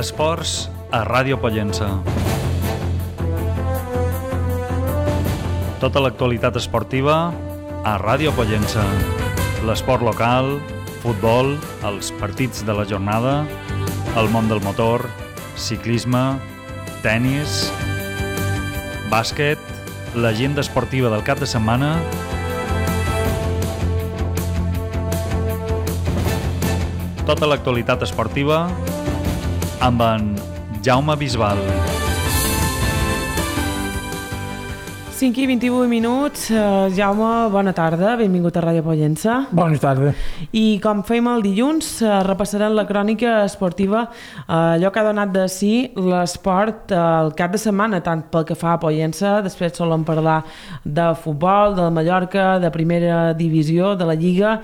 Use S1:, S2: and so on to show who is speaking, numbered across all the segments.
S1: Esports a Ràdio Pollença. Tota l'actualitat esportiva a Ràdio Pollença. L'esport local, futbol, els partits de la jornada, el món del motor, ciclisme, tennis, bàsquet, l'agenda esportiva del cap de setmana, tota l'actualitat esportiva amb en Jaume Bisbal.
S2: 5 i 28 minuts. Jaume, bona tarda, benvingut a Ràdio Pollença.
S3: Bona tarda.
S2: I com fèiem el dilluns, repassarem la crònica esportiva, allò que ha donat de si l'esport el cap de setmana, tant pel que fa a Pollença, després solem parlar de futbol, de Mallorca, de primera divisió, de la Lliga,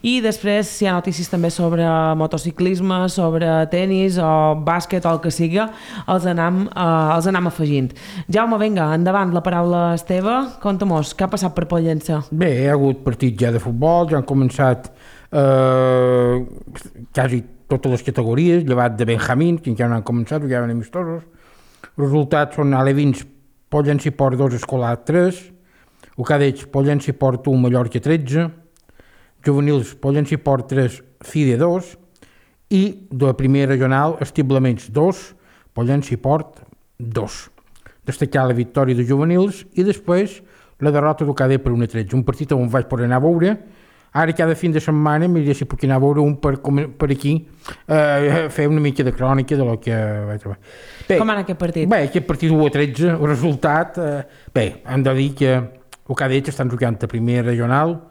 S2: i després si hi ha notícies també sobre motociclisme, sobre tenis o bàsquet o el que siga, els anam afegint. Jaume, vinga, endavant, la paraula és teva. Conta-mos, què ha passat per Pollença?
S3: Bé, hi ha hagut partits ja de futbol, ja han començat quasi totes les categories, llevat de Benjamín, que ja no han començat, ja van amistosos. Els resultats són alevins, Pollença i Port 2, Escolar 3, o cadets, Pollença i Port 1, Mallorca 13, juvenils, Pollença i Port 3, FIDE 2, i de la primera regional, Estiblaments 2, Pollença i Port 2. Destacar la victòria de juvenils i després la derrota del cadet per 1-13, un partit on vaig poder anar a veure. Ara cada fin de setmana miraré si puc anar a veure un per aquí, fer una mica de crònica de lo que vaig trobar. Bé,
S2: com anar aquest partit?
S3: Bé, aquest partit 1-13, el resultat, bé, hem de dir que el cadet estan jugant a primera regional,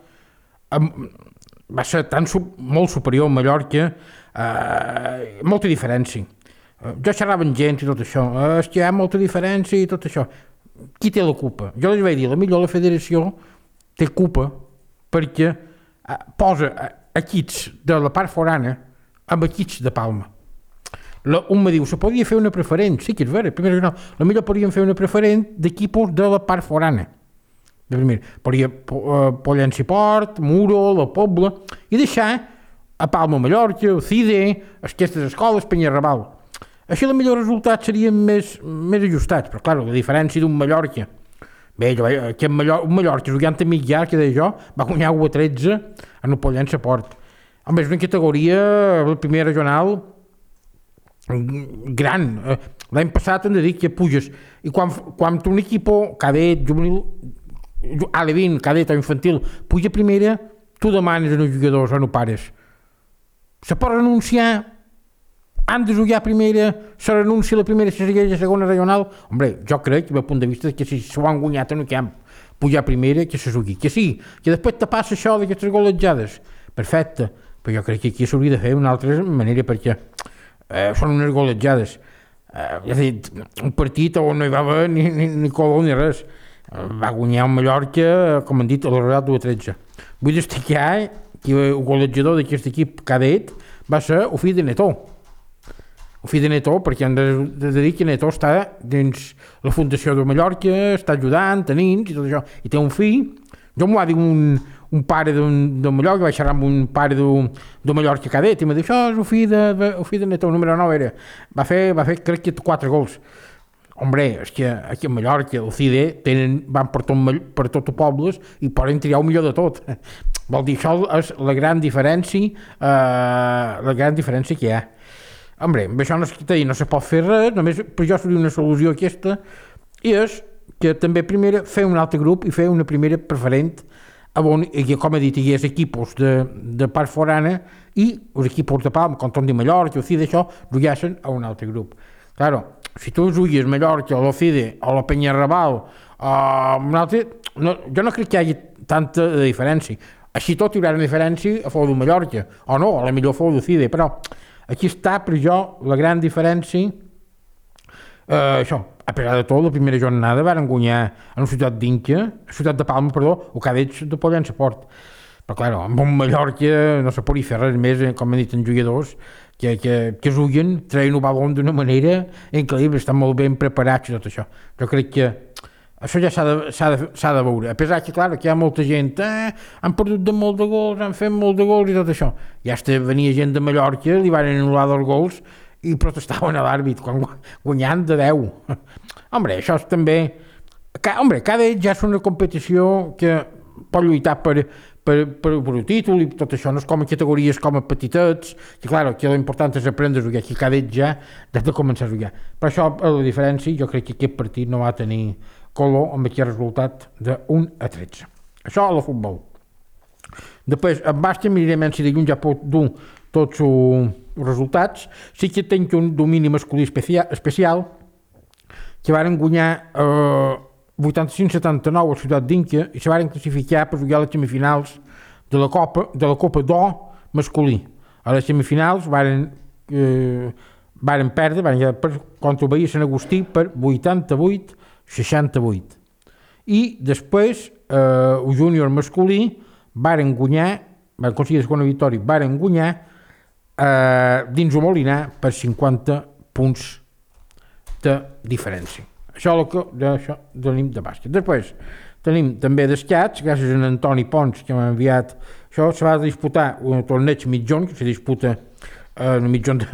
S3: va ser molt superior a Mallorca, molta diferència. Jo xerrava amb gent i tot això, és que hi ha molta diferència i tot això. Qui té la culpa? Jo els vaig dir, la federació té culpa perquè posa equips de la part forana amb equips de Palma. Un me diu, se podria fer una preferent, sí que és vera, la millor podríem fer una preferent d'equipos de la part forana. Podria Pollença i Port, Muro, la Pobla, i deixar a Palma, Mallorca, el CIDE, aquestes escoles, Penyarrabal. Així el millor resultat serien més ajustats, però clar, la diferència d'un Mallorca, bé, un Mallorca jugant a mig llarg, que deia jo, va guanyar 1-13 en el Pollença Port. Home, és una categoria, la primera regional, gran. L'any passat hem de dir que puges, i quan un equip cadet, juvenil, alevín, cadet o infantil, puja a primera, tu demanes als jugadors o no pares. Se pot renunciar, han de jugar a primera, se renuncia a la primera, se segueix a segona regional. Hombre, jo crec, del punt de vista, que si s'ho han guanyat en el camp, pujar a primera, que se jugui. Que sí, que després te passa això d'aquestes golejades. Perfecte, però jo crec que aquí s'hauria de fer d'una altra manera, perquè són unes golejades. És a dir, un partit on no hi va haver ni color ni res. Va guanyar un Mallorca, com han dit, a la Real 2-13. Vull destacar que el golejador d'aquest equip cadet va ser el fill de Netó. El fill de Netó, perquè hem de dir que Netó està dins la Fundació de Mallorca, està ajudant, a nins i tot això, i té un fill. Jo m'ho va dir un pare de Mallorca, vaig xerrar amb un pare de Mallorca cadet, i m'ha dit, això és el fill de Netó, el número 9 era. Va fer crec que 4 gols. Hombre, és que aquí a Mallorca, el CIDE, van per tot el poble i poden triar el millor de tot. Vol dir, això és la gran diferència que hi ha. Hombre, amb això no se pot fer res, només per jo seria una solució aquesta, i és que també primera fer un altre grup i fer una primera preferent, on, com he dit, hi ha equipos de part forana i els equipos de Palma, com Tom de Mallorca, o CIDE, això, jugassen a un altre grup. Claro, si tu jugues Mallorca, o la CIDE, o la Penyarrabal, o un altre, jo no crec que hi hagi tanta diferència. Així tot hi haurà una diferència a favor de Mallorca, o no, a la millor a favor de CIDE, però aquí està, per jo, la gran diferència. Això, a pesar de tot, la primera jornada van guanyar en la ciutat de Palma, o cadets de Pollença Port. Però, clar, amb un Mallorca no se podria fer res més, com han dit els jugadors, que juguen, treien el balon d'una manera increïble, estan molt ben preparats i tot això. Jo crec que això ja s'ha de veure. A pesar que, clar, que hi ha molta gent, han perdut de molt de gols, han fet molt de gols i tot això. Ja venia gent de Mallorca, li van anul·lar 2 gols i protestaven a l'àrbit quan guanyant de 10. Home, això és també... Cada ja és una competició que pot lluitar per un títol i tot això, no és com a categories com a petitets, que clar, aquí l'important és aprendre a jugar, aquí cada ja has de començar a jugar. Per això, a la diferència, jo crec que aquest partit no va tenir color amb aquest resultat de 1-13. Això a la futbol. Després, en bàsquet, mirarem si dilluns ja pot dur tots els resultats. Sí que tenc un domini masculí especial que varen guanyar 85-79 a Ciutat d'Inca i se varen classificar per jugar a les semifinals de la Copa d'Or masculí. A les semifinals varen perdre contra el Bahia Sant Agustí per 88-68. I després el júnior masculí varen aconseguir la segona victòria, varen guanyar dins el Molinar per 50 punts de diferència. Això tenim de bàsquet. Després tenim també d'escacs, gràcies a Antoni Pons, que m'ha enviat. Això se va disputar un torneig mitjon, que se disputa en el mitjon de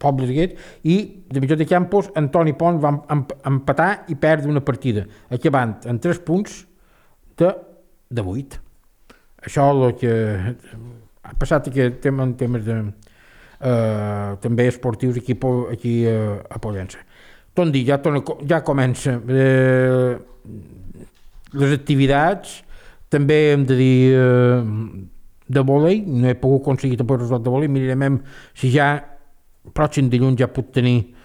S3: pobles aquests, i de mitjon de Campos, Antoni Pons va empatar i perdre una partida, acabant en 3 punts de 8. Això és el que ha passat aquest tema en temes també esportius aquí a Pollença. Tot dir, ja comença les activitats, també hem de dir de vòlei, no he pogut aconseguir tampoc el resultat de vòlei, mirarem si ja pròxim dilluns ja puc tenir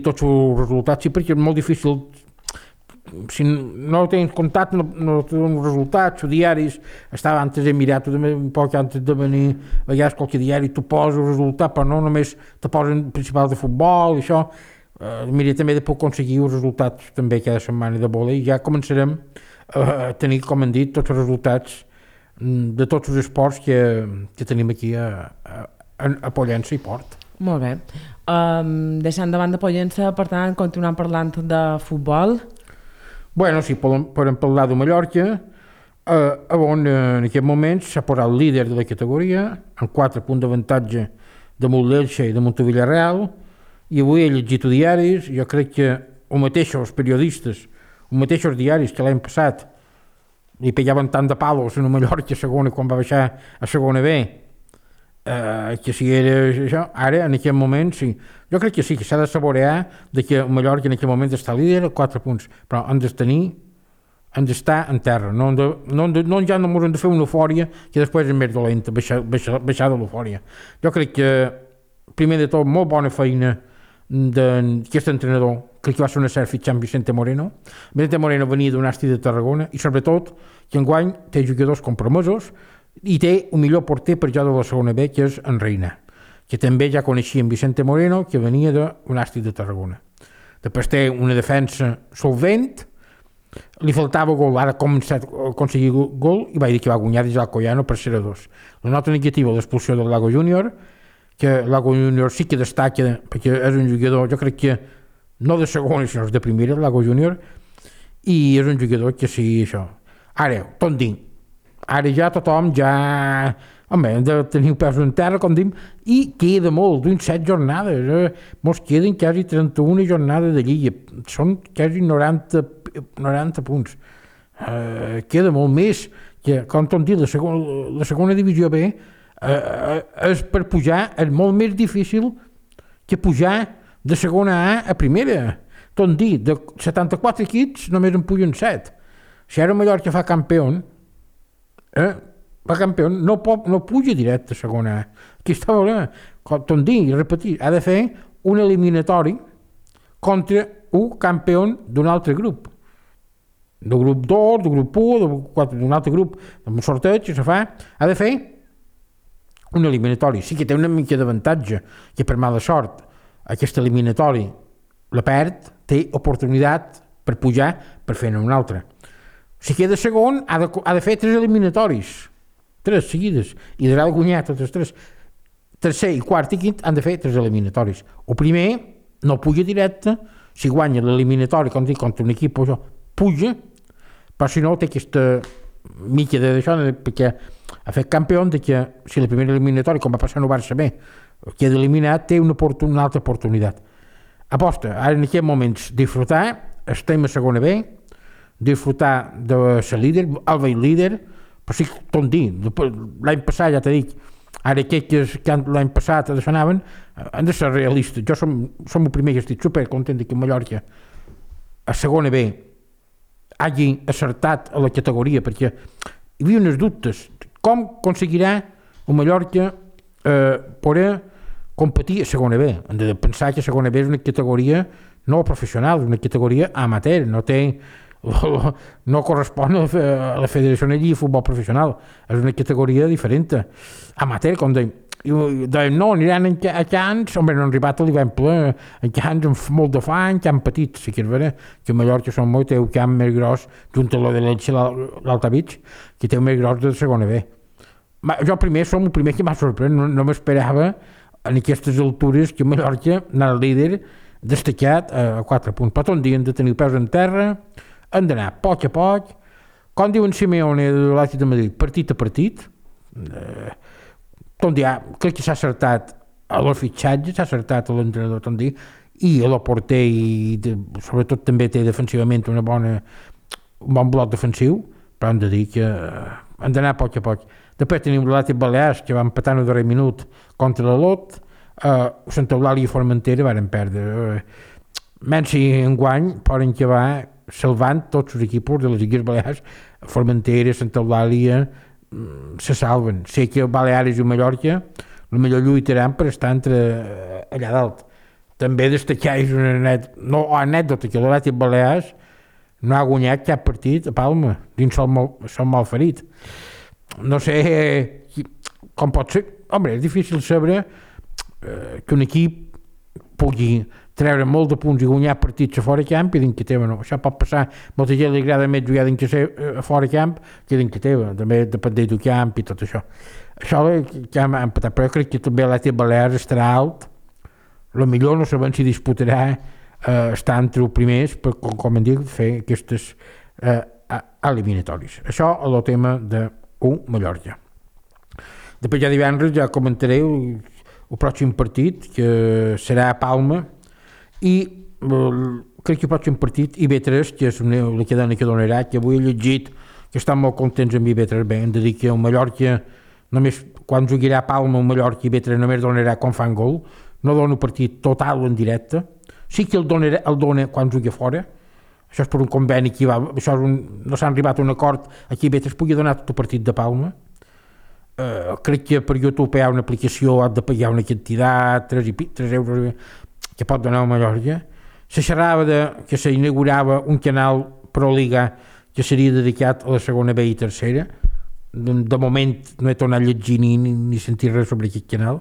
S3: tots els resultats, sí, perquè és molt difícil. Si no tens comptat, no tens resultats, els diaris, estava antes he mirat, un poc antes de venir, a vegades qualque diari tu poses el resultat, però no només te posen principals de futbol i això, mira, també de poder aconseguir els resultats també cada setmana de vòlei, i ja començarem a tenir, com hem dit, tots els resultats de tots els esports que tenim aquí a Pollença i Port.
S2: Molt bé. Deixant de banda Pollença, per tant, continuant parlant de futbol.
S3: Bueno, si podem parlar de Mallorca, on en aquest moment s'ha posat el líder de la categoria, amb 4 punts d'avantatge damunt l'Elche i damunt el Villarreal, i avui he llegit diaris, jo crec que els mateixos periodistes, els mateixos diaris que l'any passat li pegaven tant de palos en Mallorca segona quan va baixar a segona B, que si era això, ara en aquest moment sí, jo crec que sí, que s'ha de saborear de que Mallorca en aquest moment està líder a 4 punts, però han d'estar en terra, ja no hem de fer una eufòria que després és més dolenta, baixar de l'eufòria. Jo crec que primer de tot molt bona feina d'aquest entrenador, crec que va ser una cert fitxar amb Vicente Moreno. Vicente Moreno venia d'un Asti de Tarragona i sobretot que enguany té jugadors compromesos i té un millor porter per ja de la segona B, que és en Reina, que també ja coneixia en Vicente Moreno, que venia d'un Asti de Tarragona. Després té una defensa solvent, li faltava gol, ara ha començat a aconseguir gol i va dir que va guanyar des d'Alcoyano per 0-2. La nota negativa, l'expulsió del Lago Júnior, que Lago Júnior sí que destaca perquè és un jugador, jo crec que no de segona, sinó de primera, Lago Júnior, i és un jugador que sí, això. Ara, tot dir, ara ja tothom hem de tenir peus en terra, com dim, i queda molt, d'un 7 jornades, mos queden quasi 31 jornades de Lliga, són quasi 90 punts. Queda molt més, que, com tot dir, la segona divisió B és per pujar, és molt més difícil que pujar de segona A a primera. Tot dir, de 74 equips només en pugen 7. Si ara Mallorca fa campió, no puja directe a segona A. Aquí està el problema. Tot dir, repetir, ha de fer un eliminatori contra un campió d'un altre grup. Del grup 2, del grup 1, d'un altre grup, amb un sorteig que se fa, ha de fer un eliminatori. Sí que té una mica d'avantatge, que per mala sort aquest eliminatori la perd, té oportunitat per pujar per fer-ne un altre. Si queda segon, ha de fer 3 eliminatoris, 3 seguides, i ha de guanyar totes 3. Tercer, i quart i quint han de fer 3 eliminatoris. El primer no puja directe, si guanya l'eliminatori contra un equip, puja, però si no té aquesta mica d'això, perquè ha fet campió de que si el primer eliminatori, com va passar no Barça B, queda eliminat, té una altra oportunitat. Aposta, ara en aquests moments, disfrutar, estem a segona B, disfrutar de ser líder, el veig líder, però sí, tot dir, l'any passat, ja t'he dit, ara aquells que l'any passat anaven, han de ser realistes. Jo som el primer que estic supercontent que Mallorca a segona B hagi acertat a la categoria, perquè hi havia uns dubtes. Com aconseguirà el Mallorca poder competir a segona B? Hem de pensar que segona B és una categoria no professional, és una categoria amateur, no correspon a la Federació de Futbol Professional, és una categoria diferent. Amateur, com deim, no, aniran a camps, no han arribat a l'Ivemple, a camps amb molt de fang, camp petit, sí que és vera, que a Mallorca són molt, té un camp més gros, junt a lo de l'Elche, l'Altavich, que té un més gros de segona B. Jo som el primer que m'ha sorprès, no m'esperava en aquestes altures que Mallorca anava líder destacat a 4 punts. Però tot dia hem de tenir peus en terra, hem d'anar a poc, com diu en Simeone de l'Atlètic de Madrid, partit a partit. Tot dia crec que s'ha acertat a los fitxatges, s'ha acertat a l'entrenador tot dia, i a la porter, i sobretot també té defensivament un bon bloc defensiu, però hem de dir que hem d'anar a poc. Després tenim l'Atlètic Balears, que va empatar en el darrer minut contra l'Olot, Santa Eulàlia i Formentera van perdre. Menys enguany poden acabar salvant tots els equips de les Illes Balears. Formentera, Santa Eulàlia se salven. Sé que Baleares i Mallorca potser lluitaran per estar allà dalt. També destacar és una anècdota que l'Atlètic Balears no ha guanyat cap partit a Palma dins son malferit. No sé com pot ser. Home, és difícil saber que un equip pugui treure molt de punts i guanyar partits a fora camp i dins que teva no. Això pot passar. Molta gent li agrada més jugar dins que a fora camp que dins que teva. També depèn del camp i tot això. Això que hem empatat, però jo crec que també l'Atlètic Balears estarà alt. El millor no sabem si disputarà estar entre els primers per, com hem dit, fer aquestes eliminatòries. Això és el tema de Mallorca. Després ja divendres ja comentaré el pròxim partit, que serà a Palma, i crec que el pròxim partit IB3, que és la cadena que donarà, que avui he llegit que estan molt contents amb IB3. Bé, hem de dir que el Mallorca, només quan jugarà a Palma el Mallorca, IB3 només donarà quan fan gol, no dona un partit total en directe, sí que el dona quan jugui fora. Això és per un conveni que no s'ha arribat a un acord aquí IB3 pugui donar tot el partit de Palma. Crec que per YouTube hi ha una aplicació, has de pagar una quantitat, 3 euros que pot donar a Mallorca. Se xerrava que s'inaugurava un canal Pro Liga que seria dedicat a la segona B i tercera. De moment no he tornat a llegir ni sentir res sobre aquest canal,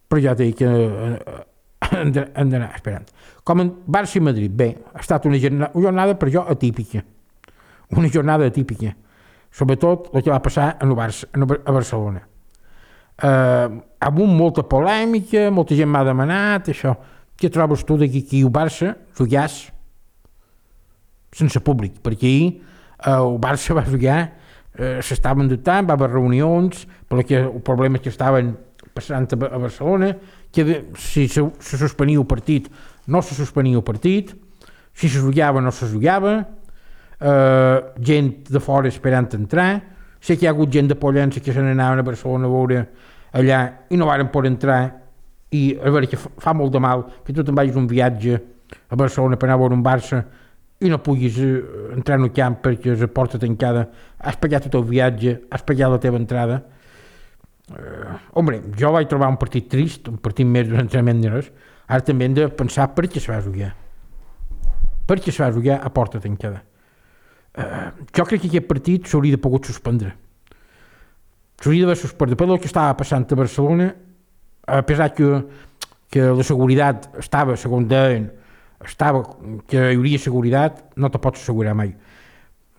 S3: però ja t'he dit que hem d'anar esperant. Com en Barça i Madrid, bé, ha estat una jornada per jo atípica. Una jornada atípica. Sobretot el que va passar a Barcelona. Amb molta polèmica, molta gent m'ha demanat això. Què trobes tu d'aquí que el Barça jugàs sense públic? Perquè ahir el Barça va jugar, s'estaven dotant, va haver reunions, perquè el problema que estaven passant a Barcelona, que si se suspenia el partit, no se suspenia el partit, si se jugava, no se jugava, gent de fora esperant entrar. Sé que hi ha hagut gent de Pollença que se n'anaven a Barcelona a veure allà i no varen poder entrar, i a veure que fa molt de mal que tu te'n vagis un viatge a Barcelona per anar a veure un Barça i no puguis entrar en el camp perquè és a porta tancada, has pagat tot el viatge, has pagat la teva entrada. Jo vaig trobar un partit trist, un partit més d'un entrenament de res. Ara també hem de pensar per què se va jugar. Per què se va jugar a porta tancada. Jo crec que aquest partit s'hauria de pogut suspendre. S'hauria d'haver suspendre. Per el que estava passant a Barcelona, a pesar que la seguretat estava, segons deien, que hi hauria seguretat, no te pots assegurar mai.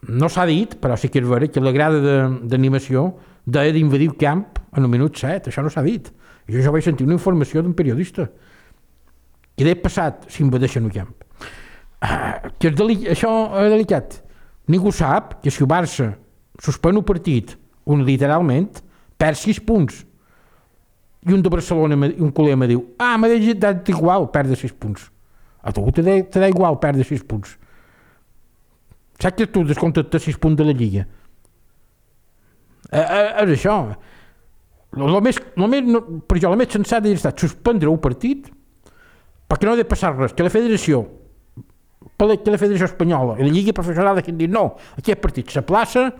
S3: No s'ha dit, però sí que és vera, que la grada d'animació deia d'invadir el camp en el minut 7. Això no s'ha dit. Jo vaig sentir una informació d'un periodista. Què ha passat si invadeixen el camp? Això és delicat. Ningú sap que si el Barça suspèn un partit literalment perd 6 punts. i un de Barcelona, un col·lega me diu m'ha dat igual perdre 6 punts. A tu te da igual perdre 6 punts. Saps que tu descomptes 6 punts de la Lliga? És això. Per jo, la més sensata hauria estat suspendre un partit perquè no ha de passar res, que la federació espanyola i la Lliga Professional han dit no, aquest partit s'aplaça,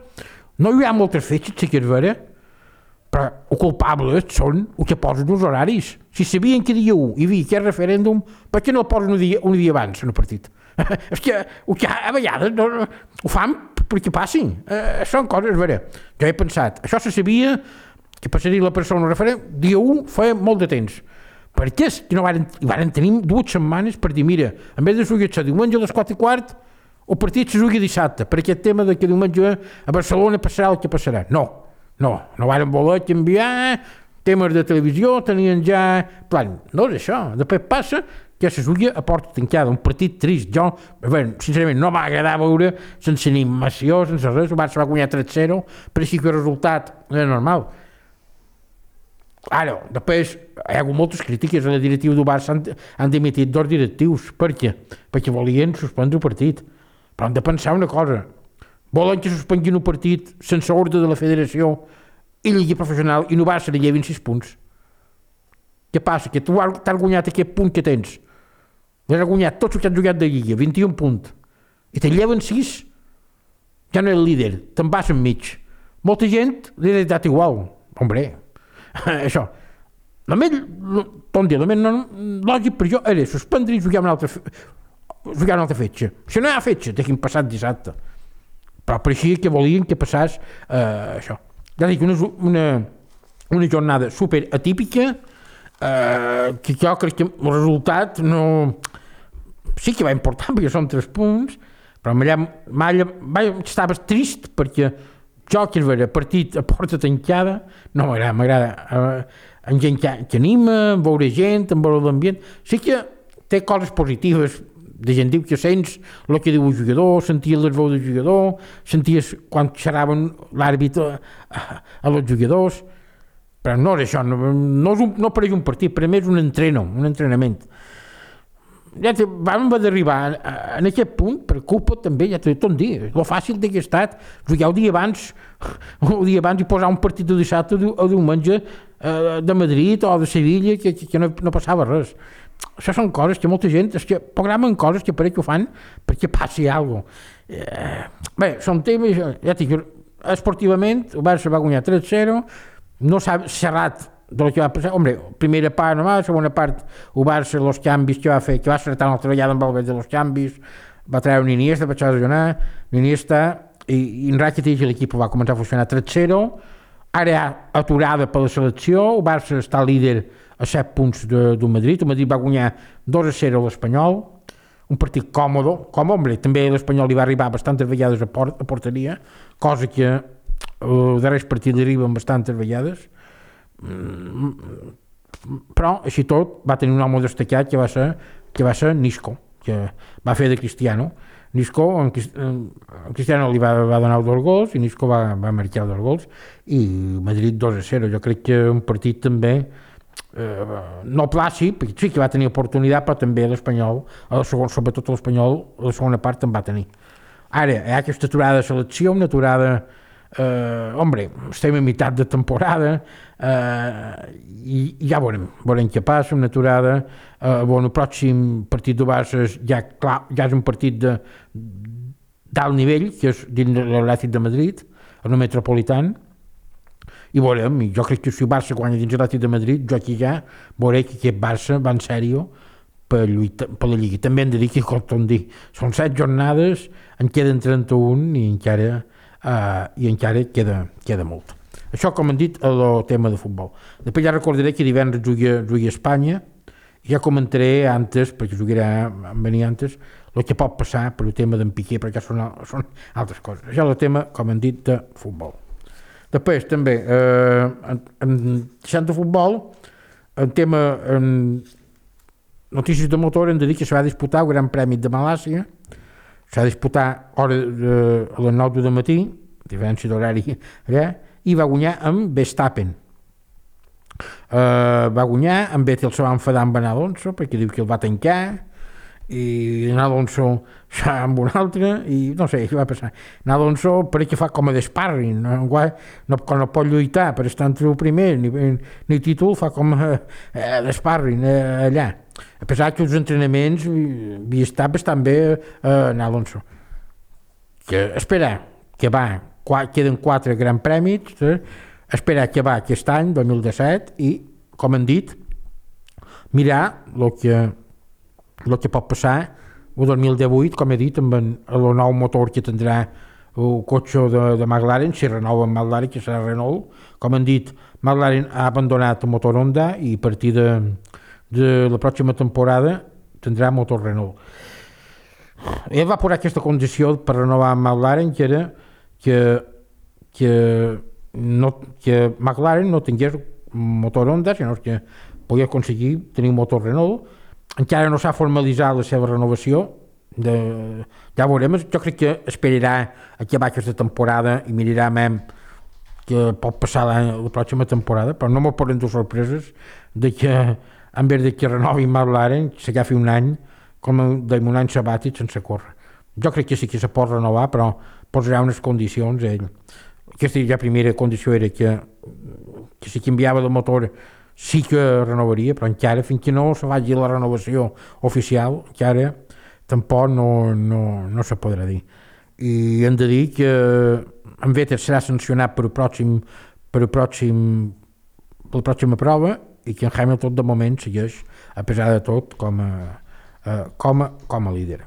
S3: no hi ha moltes fetges, sí que és vera, però els culpables són els que posen els horaris. Si sabien que dia 1 hi havia aquest referèndum, per què no el posen un dia abans en el partit? És que a vegades ho fan perquè passin. Són coses veres. Jo he pensat, això se sabia que passaria la persona al referèndum, dia 1 feia molt de temps. Per què és que no varen tenir 2 setmanes per dir, mira, en vez de jugar-se diumenge a les 4:15, el partit se jugui dissabte, per aquest tema de que diumenge a Barcelona passarà el que passarà. No varen voler canviar temes de televisió, tenien ja plan. No és això, després passa que se jugui a porta tancada, un partit trist. Jo, sincerament, no m'ha agradat veure sense animació, sense res, el Barça va guanyar 3-0, però sí que el resultat era normal. Ara, després hi ha hagut moltes crítiques a la directiva del Barça, han dimitit 2 directius. Per què? Perquè volien suspendre el partit. Però hem de pensar una cosa. Volen que suspenguin un partit sense ordre de la federació i Lliga Professional i no Barça li llevin 6 punts. Què passa? Que tu t'has guanyat aquest punt que tens. L'has guanyat tots els que han jugat de Lliga, 21 punts. I te lleven 6, ja no és el líder, te'n vas enmig. Molta gent li ha dat igual. Hombre, això. La més lògic per jo era suspendre i jugar una altra fetge. Si no hi ha fetge, deixin passat dissabte. Però pareixia que volien que passés això. Ja dic, una jornada super atípica, que jo crec que el resultat no... Sí que va important, perquè són 3 punts, però estava trist perquè jo, que és vera, partit a porta tancada, no m'agrada. En gent que anima, veure gent, en veure l'ambient. Sí que té coses positives, de gent diu que sents el que diu el jugador, senties les veus del jugador, senties quan xerraven l'àrbitre a els jugadors, però no és això, no pareix un partit, per a mi és un entrenament. Ja vam haver d'arribar en aquest punt per culpa també, ja t'ho he dit, el fàcil que ha estat jugar el dia abans i posar un partit de dissabte o diumenge de Madrid o de Sevilla que no passava res. Això són coses que molta gent programen coses que pareix que ho fan perquè passi alguna cosa. Bé, són temes, ja dic, esportivament el Barça va guanyar 3-0, no s'ha xerrat del que va passar. Hombre, primera part només, segona part el Barça, els canvis que va fer, que va acertar una treballada amb Valverde dels canvis, va treure un Iniesta per lesionar, l'Iniesta i en Rakitic l'equip va començar a funcionar 3-0, ara hi ha aturada per la selecció, el Barça està líder a 7 punts del Madrid, el Madrid va guanyar 2-0 a l'Espanyol, un partit còmode, hombre, també l'Espanyol li va arribar bastantes vegades a porteria, cosa que el darrer partit li arriben bastantes vegades, però així tot va tenir un home destacat que va ser Nisco, que va fer de Cristiano. Nisco, en Cristiano li va donar 2 gols i Nisco va marcar 2 gols i Madrid 2-0. Jo crec que un partit també no plàcid, perquè sí que va tenir oportunitat, però també l'Espanyol, sobretot l'Espanyol, la segona part en va tenir. Ara, hi ha aquesta aturada de selecció, una aturada hombre, estem a meitat de temporada i ja veurem què passa, una aturada. El pròxim partit del Barça ja és un partit d'alt nivell, que és dins l'Atlètic de Madrid, el Metropolitano, i veurem, jo crec que si el Barça guanya dins l'Atlètic de Madrid, jo aquí ja veuré que aquest Barça va en sèrio per la Lliga. També hem de dir que, com dir, són 7 jornades, en queden 31 i encara queda molt. Això, com hem dit, el tema de futbol. Després ja recordaré que divendres jugui a Espanya i ja comentaré antes, perquè venir antes, el que pot passar per el tema d'en Piqué, perquè són altres coses. Això és el tema, com hem dit, de futbol. Després, també, deixant de futbol, el tema notícies de motor, hem de dir que se va disputar el Gran Premi de Malàisia, s'ha disputat a les 9 del matí, diferència d'horari allà, i va guanyar amb Verstappen. va guanyar, en Vettel se va enfadar amb en Alonso perquè diu que el va tancar, i en Alonso amb un altre, i no sé què va passar. En Alonso pareix que fa com a d'esparring, quan no pot lluitar per estar entre el primer ni títol, fa com a d'esparring allà. A pesar que els entrenaments havia estat bastant bé en Alonso. Que esperar que queden 4 grans premis, esperar que va aquest any, 2017, i, com han dit, mirar el que pot passar el 2018, com he dit, amb el nou motor que tindrà el cotxe de McLaren, si renova amb McLaren, que serà Renault. Com han dit, McLaren ha abandonat el motor Honda i a partir de la pròxima temporada tindrà motor Renault. Ell va posar aquesta condició per renovar amb McLaren, que era que McLaren no tingués motor Honda, sinó que podia aconseguir tenir un motor Renault. Encara no s'ha formalitzat la seva renovació, ja veurem. Jo crec que esperarà a acabar aquesta temporada i mirarà més que pot passar la pròxima temporada, però no m'ho poden dur sorpreses de que en vez de que renovi McLaren s'agafi un any com un any sabàtic sense córrer. Jo crec que sí que se pot renovar, però posarà unes condicions ell. Aquesta ja primera condició era que si canviava de motor sí que renovaria, però encara fins que no se vagi la renovació oficial encara tampoc no se podrà dir. I hem de dir que en Vettel serà sancionat per la pròxima prova i que en Hamilton de moment segueix, a pesar de tot, com a líder.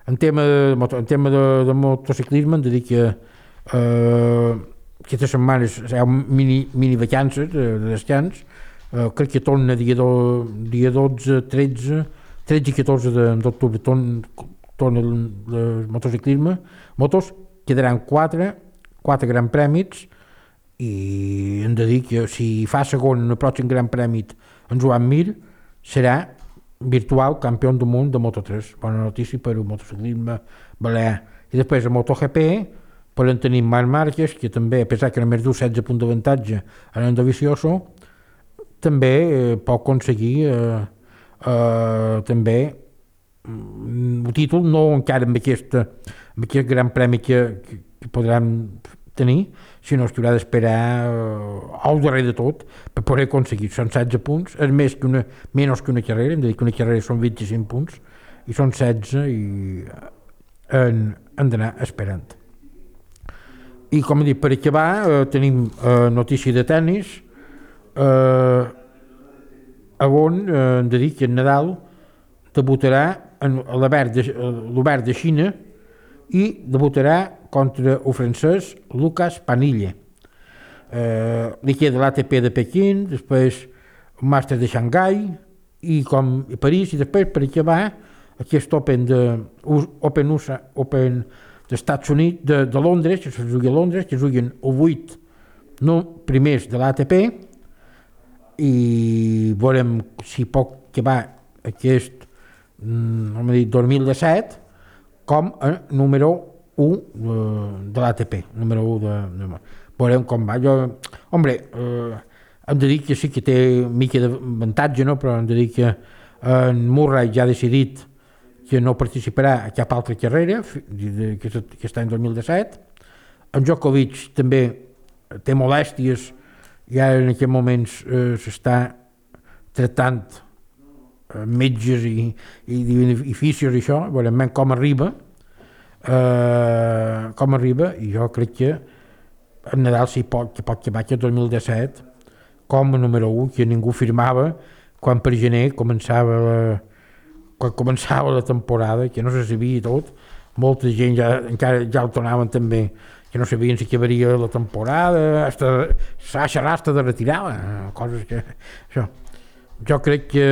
S3: En tema de motociclisme hem de dir que aquestes setmanes hi ha mini vacances de descans. Crec que torna dia 12, 13 i 14 d'octubre torna el motociclisme. Motos quedaran 4 grans premis i hem de dir que si fa segon en el pròxim gran premi en Joan Mir serà virtual campió del món de Moto3. Bona notícia per al motociclisme balear. I després a MotoGP podem tenir Marc Márquez, que també, a pesar que només du 16 punts d'avantatge en el Dovizioso, també pot aconseguir també un títol, no encara amb aquest gran premi que podran tenir, sinó que haurà d'esperar al darrer de tot per poder aconseguir. Són 16 punts, és menys que una carrera, hem de dir que una carrera són 25 punts, i són 16 i han d'anar esperant. I com he dit, per acabar, tenim notícia de tennis, on hem de dir que en Nadal debutarà en l'Obert de Xina i debutarà contra el francès Lucas Panille. Li queda l'ATP de Pequín, després el Màster de Xangai i París, i després per acabar aquest Open dels Estats Units, de Londres, que se jugui a Londres, que juguen els 8 primers de l'ATP, i veurem si pot acabar aquest 2017 com a número 1 de l'ATP, número 1 veurem com va. Hem de dir que sí que té mica d'avantatge, no? Però hem de dir que en Murray ja ha decidit que no participarà a cap altra carrera aquest any 2017. En Djokovic també té molèsties i ara en aquests moments s'està tractant metges i fisios i això, veurem com arriba, i jo crec que en Nadal sí que pot acabar aquest 2017 com a número 1, que ningú firmava quan per gener començava la temporada, que no se sabia tot, molta gent encara ja el tornaven també, que no sabien si acabaria la temporada, Sasha Rasta de retirar, coses que... Això. Jo crec que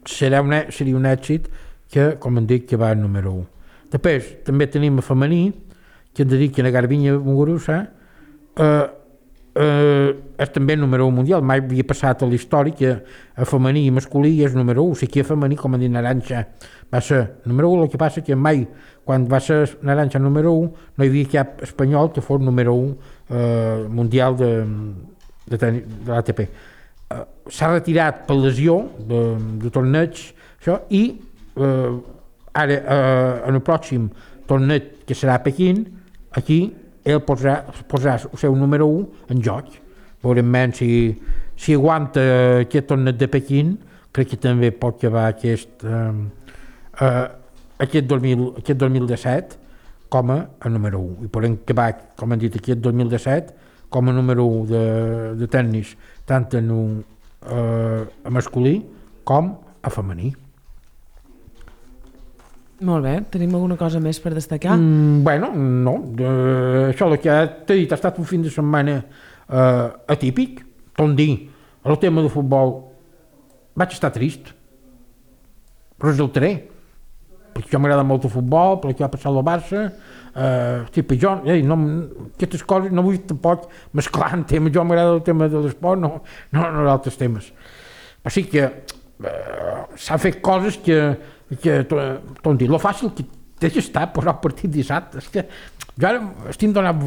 S3: seria un èxit que, com hem dit, que va al número 1. Després, també tenim a femení, que hem de dir que la Garbiñe Muguruza és també el número 1 mundial. Mai havia passat a la història que a femení i masculí és número 1. Si aquí a femení, com a dir Naranja, va ser número 1, el que passa que mai, quan va ser Naranja número 1, no hi havia cap espanyol que fos número 1 mundial de l'ATP. S'ha retirat per lesió de torneig, això, i ara, en el pròxim torneig, que serà a Pequín, aquí ell posarà el seu número 1 en joc. Veurem menys si aguanta aquest torneig de Pequín, crec que també pot acabar aquest 2017 com a número 1. I podem acabar, com hem dit, aquest 2017 com a número 1 de tennis, tant a masculí com a femení.
S2: Molt bé, tenim alguna cosa més per destacar?
S3: Bueno, no. Això el que t'he dit ha estat un fin de setmana atípic. Tom dir, el tema de futbol vaig estar trist, però resultaré, perquè jo m'agrada molt el futbol, perquè ha passat el Barça, jo, aquestes coses no vull tampoc mesclar en temes, jo m'agrada el tema de l'esport, no d'altres temes. O sigui que s'han fet coses que tot dir, lo fàcil que deixa estar posar el partit dissabte, és que jo ara estic donant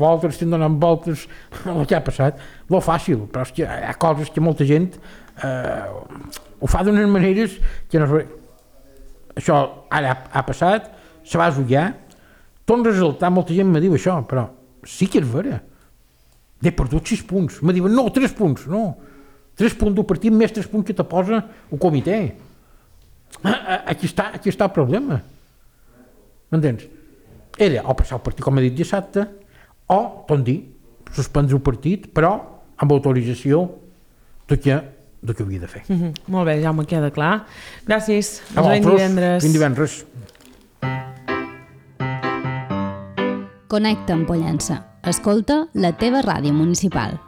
S3: voltes el que ha passat, lo fàcil, però és que hi ha coses que molta gent ho fa d'unes maneres que no... Això ara ha passat, se va esullar, tot resultat, molta gent me diu això, però sí que és vera. He perdut 6 punts. Me diuen, no, 3 punts, no. 3 punts del partit més 3 punts que te posa el comitè. Aquí està el problema. M'entens? Era o passar el partit, com he dit, dissabte, o, tot dir, suspendre el partit, però amb autorització de què havia de fer.
S2: Molt bé, ja me queda clar. Gràcies. Ens veiem divendres.
S3: Fins divendres.
S4: Connecta amb Pollença. Escolta la teva ràdio municipal.